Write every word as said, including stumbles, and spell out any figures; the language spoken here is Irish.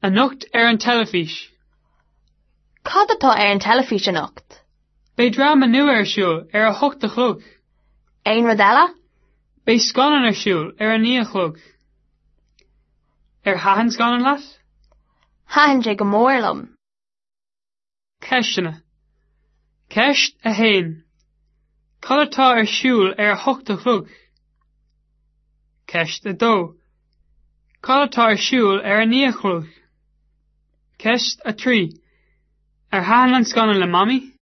Anocht ar an teilifís. Cad atá ar an teilifís anocht? Beidh dráma nua ar siúl ar a hocht a chlog. Aon rud eile? Beidh scannán ar siúl ar a naoi a chlog. Ar thaitin scannán leat? Thaitin sé go mór liom. Ceisteanna. Ceist a haon. Cad atá ar siúl ar a hocht a chlog? Ceist a dó. Cad atá ar siúl ar a naoi a chlog? Ceist a trí. Ar thaitin an scannán le Mamaí?